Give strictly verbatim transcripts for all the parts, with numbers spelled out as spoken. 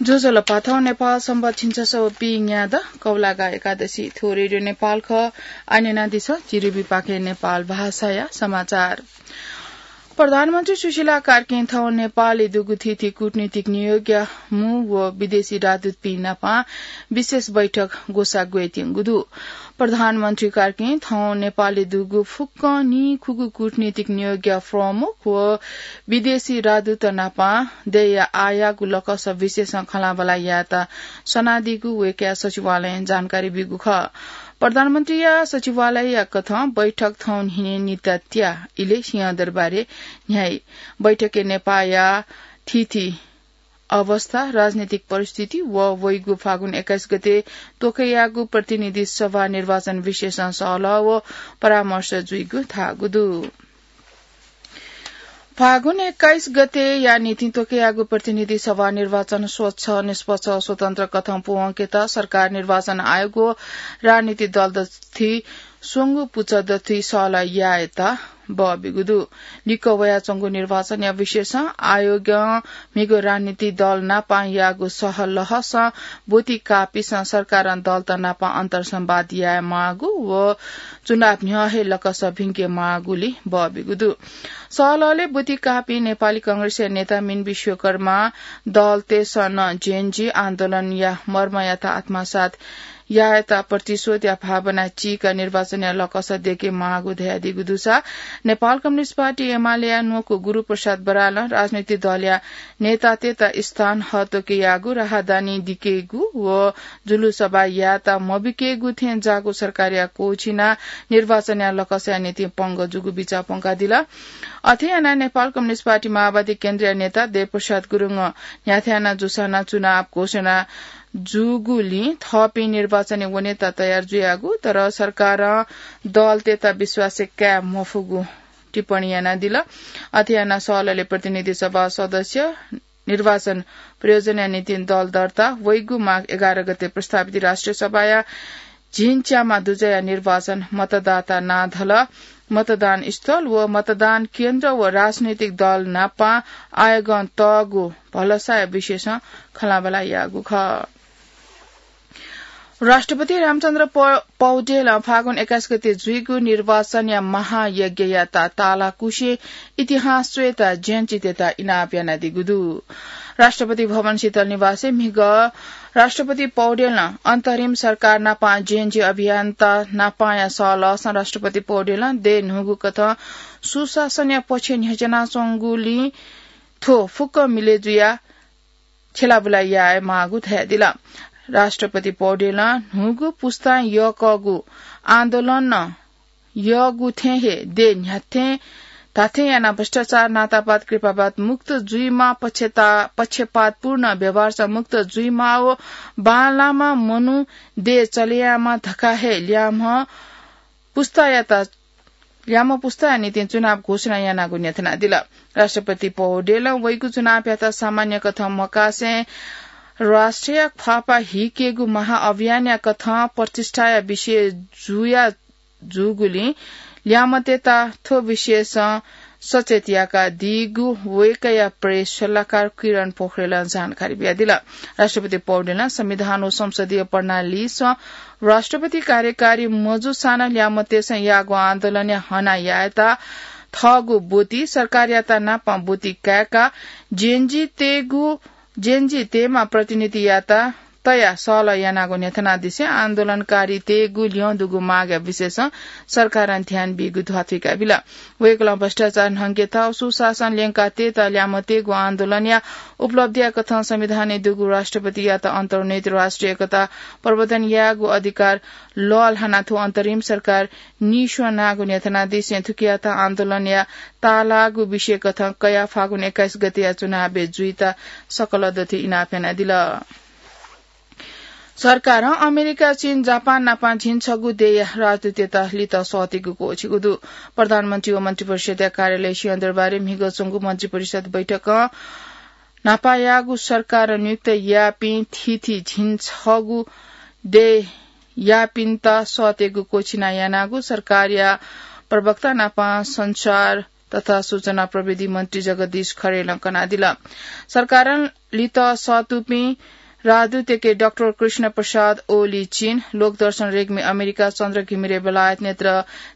ज्वजलपा, थौं नेपाल संवत् झिंछसः व पीन्यादँ कौलागा एकादशी। थ्व रेडियो नेपाल खः। आः न्यनादिसँ जिरिबी पाखें नेपाल भाषाया समाचार। प्रधानमन्त्री सुशीला कार्कीं थौं नेपालय् दुगु थीथी कूटनीतिक नियोगया मू व विदेशी राजदूतपिं नाप विशेष बैठक ग्वसाः ग्वयेत्यंगु दु। प्रधानमन्त्री कार्कीं थौं नेपालय् दुगु फुक्कं नीखुगु कूटनीतिक नियोगया प्रमुख व विदेशी राजदूत नाप दय्‌या आःयाःगु लकस विशेषं खँल्हाबल्हा यायेत सनादीगु वय्‌कःया सचिवालयं जानकारी ब्यूगु खः। प्रधानमन्त्रीया सचिवालयया कथं बैठक थौं न्हिने निता त्या इलय् सिंहदरबारय् न्ह्याइ। बैठकय् नेपाःया थीथी अवस्था, राजनीतिक परिस्थिति व वइगु फागुन एक्काइस गते त्वकयागु प्रतिनिधि सभा निर्वाचन विशेषं सहलह व परामर्श जुइगु धाःगु दु। फागुन एक्काइस गतेया निंतिं त्वकयागु प्रतिनिधि सभा निर्वाचन स्वच्छ, निष्पक्ष, स्वतन्त्र कथं पूवंकेत सरकार, निर्वाचन आयोग व राजनीतिक दल दथुइ स्वंगू पुचः दथुइ सहलह यायेत बः ब्यूगु दु। लिक्क वयाच्वंगु निर्वाचनया विषयसं आयोगं म्हिगः राजनीतिक दल नाप याःगु सहलहसं ब्वति काःपिसं सरकारं दलत नाप अन्तर्संवाद यायेमाःगु व चुनाव न्ह्यः हे लकस भिंकेमाःगुलिं बः ब्यूगु दु। सहलहलय् ब्वति काःपिं नेपाली कांग्रेसया नेता मिन विश्वकर्मां दलतय्‌सं नं जेएनजी आन्दोलनया मर्मयात आत्मसात यायेत प्रतिशोधया भावना चीकाः निर्वाचनया लकस दयेकेमाःगु धयादीगु दुसा, नेपाल कम्युनिस्ट पार्टी एमालेया न्वकू गुरुप्रसाद बरालं राजनीतिक दलया नेतातय्‌त स्थान हः त्वकयागु, राहदानी दिकेगु व जुलुस सभा यायेत मबिकेगु थें जाःगु सरकारया क्वःछिनाः निर्वाचनया लकसया निंतिं पंगः जूगु बिचाः प्वंकादिल। अथे यानाः नेपाल कम्युनिस्ट पार्टी माओवादी केन्द्रया नेता देवप्रसाद गुरुङं न्ह्याथाय् यानाः जूसां चुनाव घोषणा जूगुलिं थःपिं निर्वाचनय् वनेत तयार जुयागु, तर सरकारं दलतय्‌त विश्वासय् काये मफुगु टिप्पणी यानादिल। अथे यानाः सहलहलय् प्रतिनिधि सभा सदस्य, निर्वाचन प्रयोजनया निंतिं दल दर्ता, वइगु माघ एघार गते प्रस्तावित राष्ट्रिय सभाया झिंच्यामा दुजःया निर्वाचन, मतदाता नां धलः, मतदान स्थल व मतदान केन्द्र व राजनैतिक दल नाप आयोगं तःगु भलसाया विषयसं खँल्हाबल्हा याःगु खः। राष्ट्रपति रामचन्द्र प-, पौडेलं फागुन एक्काइस गते जुइगु निर्वाचनया महायज्ञयात तालाकुसे इतिहास च्वयेत जेएनजीतय्‌त इनाप यानादीगु दु। राष्ट्रपति भवन शीतल निवासय् म्हिगः राष्ट्रपति पौडेलं अन्तरिम सरकार नाप जेएनजी अभियन्ता नापया सहलहसं राष्ट्रपति पौडेलं देय् न्हूगु कथं सुशासनया पक्षय् न्ह्यच्वनाच्वंगुलिं थ्व फुक्क मिलय् जुयाः छ्यलाबुला यायेमाःगु धयादिल। राष्ट्रपति पौडेलं न्हूगु पुस्तां यःकःगु आन्दोलनं यःगु थें हे देय् न्ह्याथें धाथें यानाः भ्रष्टाचार, नातापात, कृपापात मुक्त जुइमाः, पक्षता-, पक्षपातपूर्ण व्यवहारसं मुक्त जुइमाः व बांलाःम्ह मनू देय् चलेयायेमाः धकाः हे ल्याय्म्ह पुस्तायात, ल्याय्म्ह पुस्ताया निंतिं चुनाव घोषणा यानागु न्ह्यथनादिल। राष्ट्रपति पौडेलं वइगु चुनावयात सामान्य कथं मकासें राष्ट्रिय ख्वाःपाः हिकेगु महाअभियानया कथं प्रतिष्ठाया विषय जुया जूगुलिं ल्याय्म्हतय्‌त थ्व विषयसं सचेत याकादीगु वय्‌कःया प्रेस सल्लाहकार किरण पोखरेलं जानकारी बियादिल। राष्ट्रपति पौडेलं संविधान व संसदीय प्रणालीसं राष्ट्रपति कार्यकारी मजूसां नं ल्याय्म्हतय्‌सं याःगु आन्दोलनय् हना यायेत थःगु ब्वति सरकारयात नापं ब्वति काय्‌काः जेएनजीतय्‌गु, जेएनजीतय्‌म्ह प्रतिनिधियात तयाः सहलह यानागु न्ह्यथनादिसें आन्दोलनकारीतय्‌गु ल्यं दुगु मागया विषयसं सरकारं ध्यान बीगु ध्वाथुइका बिल। वय्‌कलं भ्रष्टाचार न्हंकेत, सुशासन ल्यंकातयेत ल्याय्म्हतय्‌गु आन्दोलनया उपलब्धिया कथं संविधानय् दुगु राष्ट्रपतियात अन्तर्निहित राष्ट्रिय एकता प्रवर्धन यायेगु अधिकार लःल्हानाः थ्व अन्तरिम सरकार नीस्वनागु न्ह्यथनादिसें थुकियात आन्दोलनया ताःलाःगु विषय कथं कयाः फागुन एक्काइस गतेया चुनावय् जुइत सकल दथुइ इनाप यानादिल। सरकारं अमेरिका, चीन, जापान नापं झिंछगू देय्‌या राजदूतय्‌त लित सःतेगु क्वःछिगु दु। प्रधानमन्त्री व मन्त्रिपरिषद्‌या कार्यालय सिंहदरबारय् म्हिगः च्वंगु मन्त्रिपरिषद् बैठकं न्हापा याःगु सरकारं नियुक्त याःपिं थीथी झिंछगू देय्‌यापिन्त सःतेगु क्वःछिना यानागु सरकारया प्रवक्ता नापं सञ्चार तथा सूचना प्रविधि मन्त्री जगदीश खरेलं कनादिल। सरकारं लित सतुपिं राजदूतय्‌के डाक्टर कृष्ण प्रसाद ओली चीन, लोकदर्शन रेग्मी अमेरिका, चन्द्र घिमिरे बेलायत, नेत्र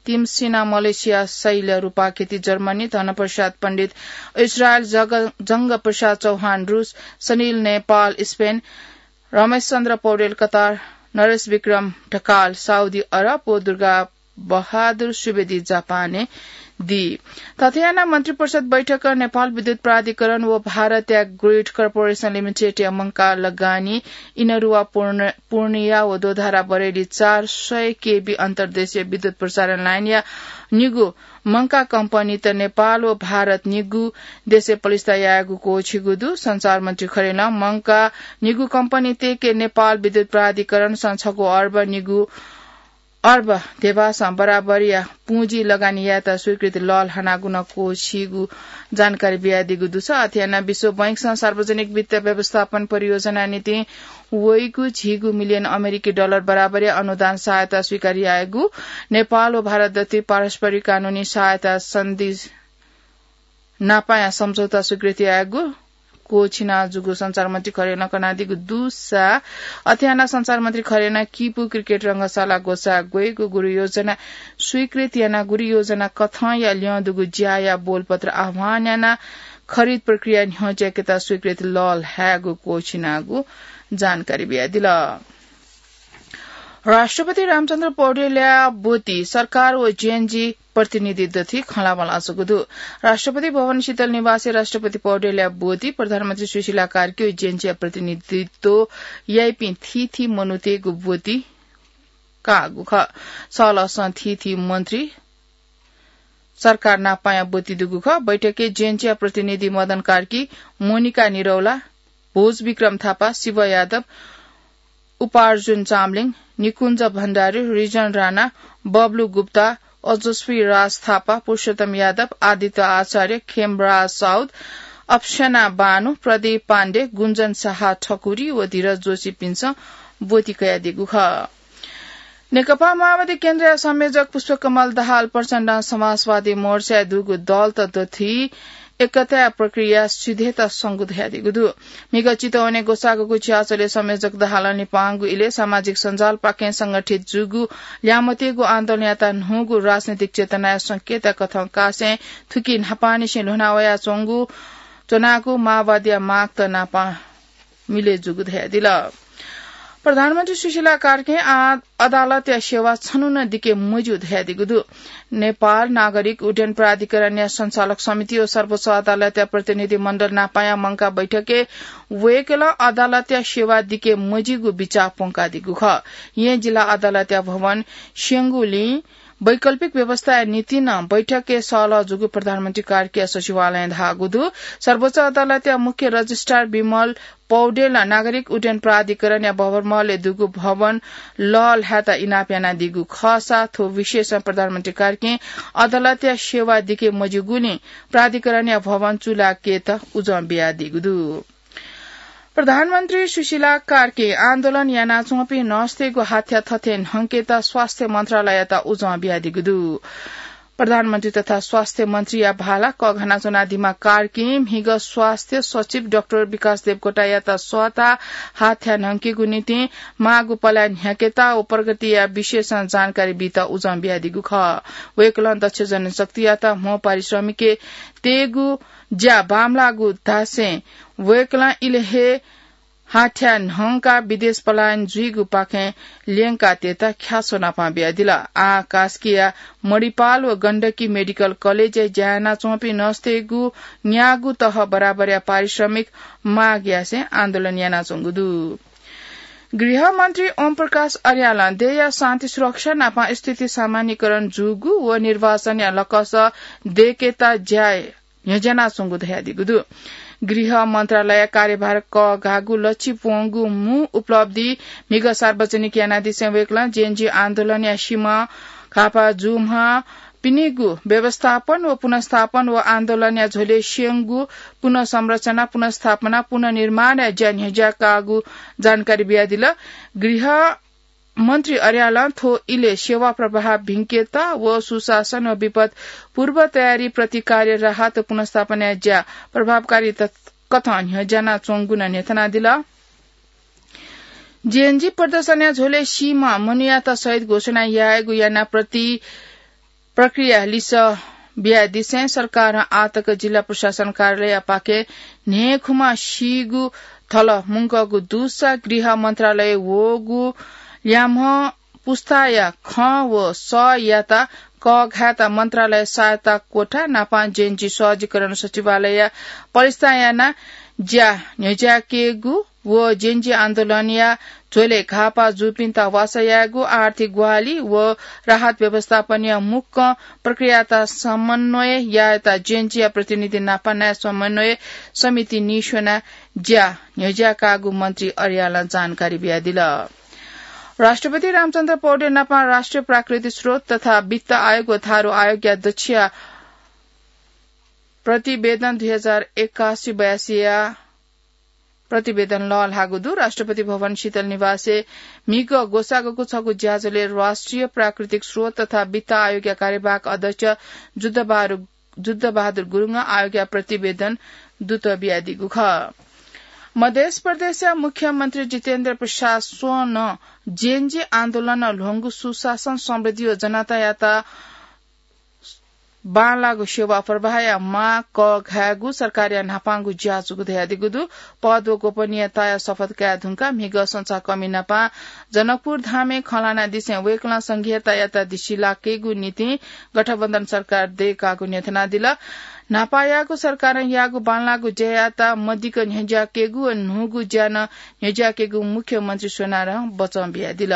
तिमसिना मलेसिया, शैल रूपाखेती जर्मनी, धनप्रसाद पण्डित इजरायल, जग-, जंग प्रसाद चौहान रूस, सनिल नेपाल स्पेन, रमेश चन्द्र पौडेल कतार, नरेश विक्रम ढकाल साउदी अरब व दुर्गा बहादुर सुवेदी जापानय् दी। थथे यानाः मन्त्रिपरिषद बैठकं नेपाल विद्युत प्राधिकरण व भारतया ग्रिड कर्पोरेसन लिमिटेडया मंकाः लगानी इनरुवा पूर्ण-, पूर्णिया व दोधारा बरेली चार सय केबी अन्तर्देशीय विद्युत प्रसारण लाइनया निगू मंकाः कम्पनीत नेपाल व भारत निगू देशय् पलिस्था यायेगु क्वःछिगु दु। सञ्चार मन्त्री खरेलं मंकाः निगू कम्पनीतय्‌के नेपाल विद्युत प्राधिकरणसं छगू अर्ब निगू अर्ब धेबासं बराबरया पुँजी लगानी यायेत स्वीकृति लःल्हानागु नं क्वःछिगु जानकारी बियादीगु दुसा। अथे यानाः विश्व बैंकसं सार्वजनिक वित्त व्यवस्थापन परियोजना निंतिं वइगु झिगू मिलियन अमेरिकी डलर बराबरया अनुदान सहायता स्वीकार यायेगु, नेपाल व भारत दथुइ पारस्परिक कानूनी सहायता सन्धि नापाया सम्झौता स्वीकृति यायेगु क्वःछिना जूगु सञ्चार मन्त्री खरेलं कनादीगु दुसा। अथे यानाः सञ्चार मन्त्री खरेलं किपु क्रिकेट रंगशाला ग्वसाः ग्वयेगु गुरु योजना स्वीकृत यानाः गुरु योजना कथंया ल्यं दुगु ज्याया बोलपत्र आह्वान यानाः खरिद प्रक्रिया न्ह्यज्याकेत स्वीकृत लःल्हायेगु क्वःछिनागु जानकारी बियादिल। राष्ट्रपति रामचन्द्र पौडेलया ब्वति सरकार व जेएनजी प्रतिनिधि दथुइ खँल्हाबल्हा जूगु दु। राष्ट्रपति भवन शीतल निवासय् राष्ट्रपति पौडेलया ब्वति प्रधानमन्त्री सुशीला कार्की व जेएनजीया प्रतिनिधित्व याइपिं थीथी मनूतय्‌गु ब्वति काःगु खः। सलसं थीथी मन्त्री सरकार नापाया ब्वति दुगु खः। बैठकय् जेएनजीया प्रतिनिधि मदन कार्की, मोनिका निरौला, भोज विक्रम थापा, शिव यादव, उपार्जुन चामलिङ, निकुञ्ज भण्डारी, रिजन राणा, बब्लु गुप्ता, ओजस्वी राज थापा, पुरुषोत्तम यादव, आदित्य आचार्य, खेमराज साउद, अप्सना बानु, प्रदीप पाण्डे, गुञ्जन शाह ठकुरी व धीरज जोशीपिन्सं ब्वति कयादीगु खः। नेकपा माओवादी केन्द्रया संयोजक पुष्पकमल दाहाल प्रचण्डं समाजवादी मोर्चाय् दुगु दलत दथुइ एकताया प्रक्रिया सिधयेत संगु धयादीगु दु। म्हिगः चितवनय् ग्वसाःगु छ्याःचले संयोजक दाहालं लिपांगु इलय् सामाजिक सञ्जालपाखें संगठित जूगु ल्याय्म्हतेगु आन्दोलनयात न्हूगु राजनैतिक चेतनाया संकेतया कथं कासें थुकी न्हापांनिसें ल्ह्वना वयाच्वंगु च्वनागु माओवादीया मागत नापं मिले जूगु धयादिल। प्रधानमन्त्री सुशीला कार्कीं आ-, अदालतया सेवा छन्हु नं दिके मज्यू धयादीगु दु। नेपाल नागरिक उड्डयन प्राधिकरणया सञ्चालक समिति व सर्वोच्च अदालतया प्रतिनिधि मण्डल नापाया मंकाः बैठकय् वय्कलं अदालतया सेवा दिके मज्यूगु बिचाः प्वंकादीगु खः। येँ जिल्ला अदालतया भवन स्यंगुलिं वैकल्पिक व्यवस्थाया निंतिं नं बैठकय् सहलह जूगु प्रधानमन्त्री कार्कीया सचिवालयं धाःगु दु। सर्वोच्च अदालतया मुख्य रजिस्ट्रार विमल पौडेलं नागरिक उड्डयन प्राधिकरणया भवनमहलय् दुगु भवन लःल्हायेत इनाप यानादीगु खःसा थ्व विषयसं प्रधानमन्त्री कार्कीं अदालतया सेवा दिके मज्यूगुलिं प्राधिकरणया भवन चूलाकेत उजं बियादीगु दु। प्रधानमन्त्री सुशीला कार्कीं आन्दोलन यानाच्वंपिं नर्सतय्गु हाथ्या थथे न्हंकेत स्वास्थ्य मन्त्रालययात उजं बियादीगु दु। प्रधानमन्त्री तथा स्वास्थ्य मन्त्रीया भाला कःघाना च्वनादीम्ह कार्कीं म्हिगः स्वास्थ्य सचिव डाक्टर विकास देवकोटायात सःताः हाथ्या न्हंकेगु निंतिं माःगु पलाः न्ह्याकेत व प्रगतिया विषयसं जानकारी बीत उजं बियादीगु खः। वय्कलं दक्ष जनशक्तियात म्हो पारिश्रमिकय् तयेगु ज्या बांमलाःगु धासें वय्कलं इलय् हे हाथ्या न्हंकाः विदेश पलायन जुइगुपाखें ल्यंकातयेत ख्याच्वः नापं बियादिल। आः कास्कीया मणिपाल व गण्डकी मेडिकल कलेजय् ज्या यानाच्वंपिं नर्सतय्गु न्यागू तह बराबरया पारिश्रमिक माग यासें आन्दोलन यानाच्वंगु दु। गृहमन्त्री ओम प्रकाश अर्यालं देय्या शान्ति सुरक्षा नापं स्थिति सामान्यीकरण जूगु व निर्वाचनया लकस दय्केत ज्या न्ह्यज्यानाच्वंगु धयादीगु दु। गृह मन्त्रालय कार्यभार कःघाःगु लच्छि प्वंगु मू उपलब्धि म्हिगः सार्वजनिक यानादिसें वय्कलं जेएनजी आन्दोलनया सिमा घाःपाः जूम्ह पिनिगु व्यवस्थापन व पुनर्स्थापन व आन्दोलनया झ्वलय् स्यंगु पुनर्संरचना, पुनर्स्थापना, पुनर्निर्माणया ज्या न्ह्यज्याकाःगु जानकारी बियादिल। गृह मन्त्री अर्यालं थ्व इलय् सेवा प्रवाह भिंकेत व सुशासन व विपद पूर्व तयारी, प्रतिकार्य, राहत व पुनर्स्थापनाया ज्या प्रभावकारी तत-, कथं न्ह्यज्यानाच्वंगु नं न्ह्यथनादिल। जेएनजी प्रदर्शनया झ्वलय् सीम्ह मनूयात शहीद घोषणा यायेगु याना प्रति प्रक्रिया लिसः बियादिसें सरकारं आःतक जिल्ला प्रशासन कार्यालयपाखें न्हय्‌खुम्ह सीगु थल मुंकःगु दुसा गृह मन्त्रालय वःगु ल्याम्ह पुस्ताया खँ व सःयात कःघायेत मन्त्रालय सहायता कोठा नापं जेएनजी सहजीकरण सचिवालयया पलिस्था यानाः ज्या न्ह्यज्याकेगु व जेएनजी आन्दोलनया झ्वलय् घाःपाः जूपिन्त वासः यायेगु, आर्थिक ग्वाहालि व राहत व्यवस्थापनया मुक्कं प्रक्रियात समन्वय यायेत जेएनजीया प्रतिनिधि नापं नायः समन्वय समिति निस्वनाः ज्या न्ह्यज्याकाःगु मन्त्री अर्यालं जानकारी बियादिल। राष्ट्रपति रामचन्द्र पौडेल नापं राष्ट्रिय प्राकृतिक स्रोत तथा वित्त आयोग व थारु आयोगया दच्छिया प्रतिवेदन दुई हजार एकासी बयासीया प्रतिवेदन लःल्हाःगु दु। राष्ट्रपति भवन शीतल निवासय् म्हिगः ग्वसाःगु छगू ज्याझ्वलय् राष्ट्रिय प्राकृतिक स्रोत तथा वित्त आयोगया कार्यवाहक अध्यक्ष जुद्धबहादुर, जुद्धबहादुर गुरुङं आयोगया प्रतिवेदन दुत बियादीगु खः। मध्य प्रदेशया मुख्यमन्त्री जितेन्द्र प्रसाद स्वनं जेएनजी आन्दोलनं ल्ह्वंगु सुशासन, समृद्धि व जनतायात बांलाःगु सेवा प्रवाहया मां कःघायेगु सरकारया न्हापांगु ज्या जूगु धयादीगु दु। पद व गोपनीयताया शपथ काये धुंकाः म्हिगः संचारकर्मी नापं जनकपुर धामय् खँ ल्हानादिसें वय्‌कलं संघीयतायात दिसिलाकेगु निंतिं गठबन्धन सरकार दयेकागु न्ह्यथनादिल। न्हापायागु सरकारं याःगु बांलाःगु ज्यायात मदिक्क न्ह्यज्याकेगु व न्हूगु ज्या नं न्ह्यज्याकेगु मुख्यमन्त्री स्वनारं बचं बियादिल।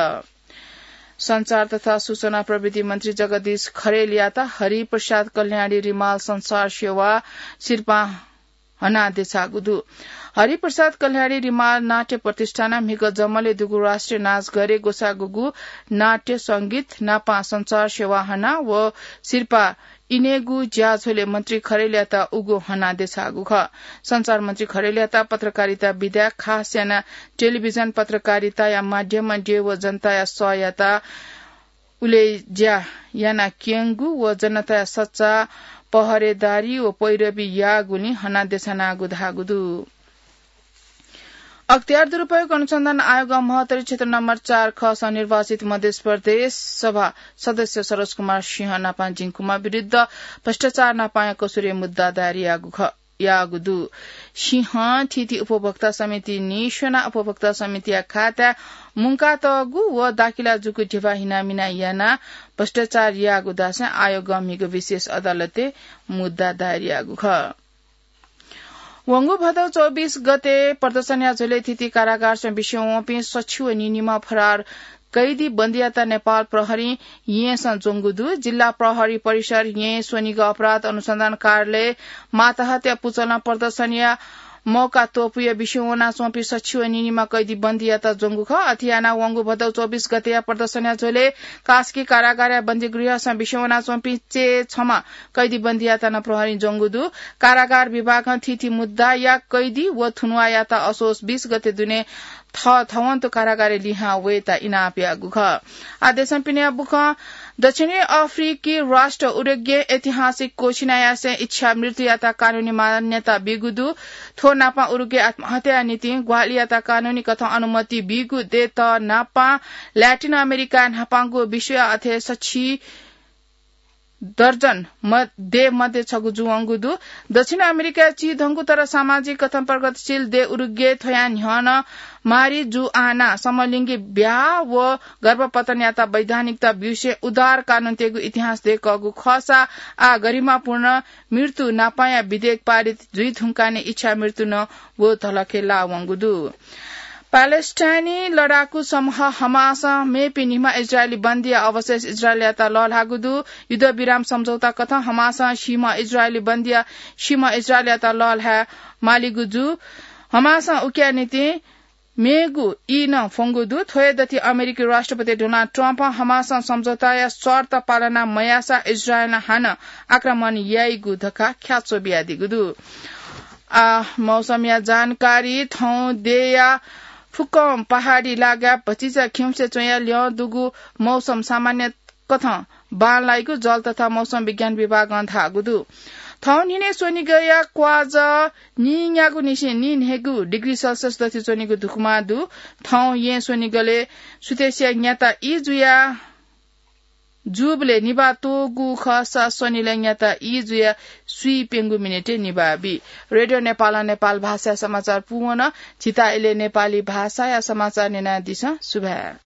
सञ्चार तथा सूचना प्रविधि मन्त्री जगदीश खरेलयात हरिप्रसाद कल्याणी रिमाल संचार सेवा सिरपां हनादेछाःगु दु। हरिप्रसाद कल्याणी रिमाल नाट्य प्रतिष्ठानं म्हिगः जमलय् दुगु राष्ट्रिय नाचघरय् ग्वसाःगु नाट्य संगीत नापं सञ्चार सेवा हना व सिरपाः इनेगु ज्याझ्वलय् मन्त्री खरेलयात उगु हनादेछाःगु खः। सञ्चार मन्त्री खरेलयात पत्रकारिता विधा, खास यानाः टेलिभिजन पत्रकारिताया माध्यमं देय् व जनताया सःयात उलेज्या यानाक्यंगु व जनताया सच्चा पहरेदारी व पैरवी याःगुलिं हनादेछानागु धाःगु दु। अख्तियार दुरुपयोग अनुसन्धान आयोगं महोत्तरी क्षेत्र नम्बर चार ख सं निर्वाचित मध्य प्रदेश सभा सदस्य सरोज कुमार सिंह नापं जिंकुमा विरुद्ध भ्रष्टाचार नापंया कसुरय् मुद्दा दायर याःगु खः, याःगु दु। सिंहं थीथी उपभोक्ता समिति निस्वनाः उपभोक्ता समितिया खाताय् मुंकातःगु व दाखिला जूगु ध्यबा हिनामिना यानाः भ्रष्टाचार याःगु धासें आयोगं म्हिगः विशेष अदालतय् मुद्दा दायर याःगु खः। वंगु भदौ चौबिस गते प्रदर्शनया झ्वलय् थीथी कारागारसं बिस्युं वंपिं सछि व निनिम्ह फरार कैदी बन्दीयात नेपाल प्रहरीं येँसं ज्वंगु दु। जिल्ला प्रहरी परिसर येँ स्वनिगः अपराध अनुसन्धान कार्यालय मातहतया पुचलं प्रदर्शनया मौका त्वपुया बिस्युं वनाच्वंपिं सछि व निनिम्ह कैदी बन्दीयात ज्वंगु खः। अथे यानाः वंगु भदौ चौबिस गतेया प्रदर्शनया झ्वलय् कास्की कारागारया बन्दीगृहसं बिस्युं वनाच्वंपिं चय् छम्ह कैदी बन्दीयात नं प्रहरीं ज्वंगु दु। कारागार विभागं थीथी मुद्दाया कैदी व थुनुवाःयात असोज बीस गते दुने थःथवंतु कारागारय् लिहां वयेत इनाप याःगु खः। आः देशं पिनेया बुखँ। दक्षिणी अफ्रिकी राष्ट्र उरुग्वे ऐतिहासिक क्वःछिनाः यासें इच्छा मृत्युयात कानूनी मान्यता बीगु दु। थ्व नापं उरुग्वे आत्महत्याया निंतिं ग्वाहालियात कानूनी कथं अनुमति बीगु दयेत नापं ल्याटिन अमेरिकाय् न्हापांगु विश्वया अथे सछि दर्जन म-, देय् मध्ये छगू जुवंगु दु। दक्षिण अमेरिकाय् चिधंगु तर सामाजिक कथं प्रगतिशील देय् उरुग्वे थ्वयां न्ह्यः नं मारिजुआना, समलिङ्गी ब्याहा व गर्भपतनयात वैधानिकता ब्यूसें उदार कानून तयेगु इतिहास दय्‌कःगु खःसा आः गरिमापूर्ण मृत्यु नापंया विधेयक पारित जुइ धुंकाः नं इच्छा मृत्यु नं व धलखय् लाः वंगु दु। प्यालेस्टाइनी लडाकू समूह हमासं मेपिं निम्ह इजरायली बन्दीया अवशेष इजरायलयात लःल्हाःगु दु। युद्धविराम सम्झौता कथं हमासं सीम्ह इजरायली बन्दीया, सीम्ह इजरायलयात लःल्हाये मालीगु जू। हमासं उकिया निंतिं मेगु ई नं फ्वंगु दु। थ्व हे दथि अमेरिकी राष्ट्रपति डोनाल्ड ट्रम्पं हमासं सम्झौताया शर्त पालना मयाःसा इजरायलं हानं आक्रमण याइगु धकाः ख्याच्वः बियादीगु दु। आः मौसमया जानकारी। थौं देय्‌या फुक्कं पहाडी लागाय् भतिचा खिउँसे च्वंया ल्यं दुगु मौसम सामान्य कथं बांलाइगु जल तथा मौसम विज्ञान विभागं धाःगु दु। थौं न्हिनय् स्वनिगःया क्वाज नीन्यागू निसें नीन्हय्गू डिग्री सेल्सियस दथि च्वनीगु धुकुमा दु। थौं यें स्वनिगलय् सुथसिया न्याता ई जुया जूबलय् निभाः त्वःगु खःसा स्वनिलय् न्याता ई जुया स्वीप्यंगू मिनेटय् निभाः बी। रेडियो नेपालं नेपाल भाषाया समाचार पूवन। झीत इलय् नेपाली भाषाया समाचार न्यनादिसँ। सुभाय्।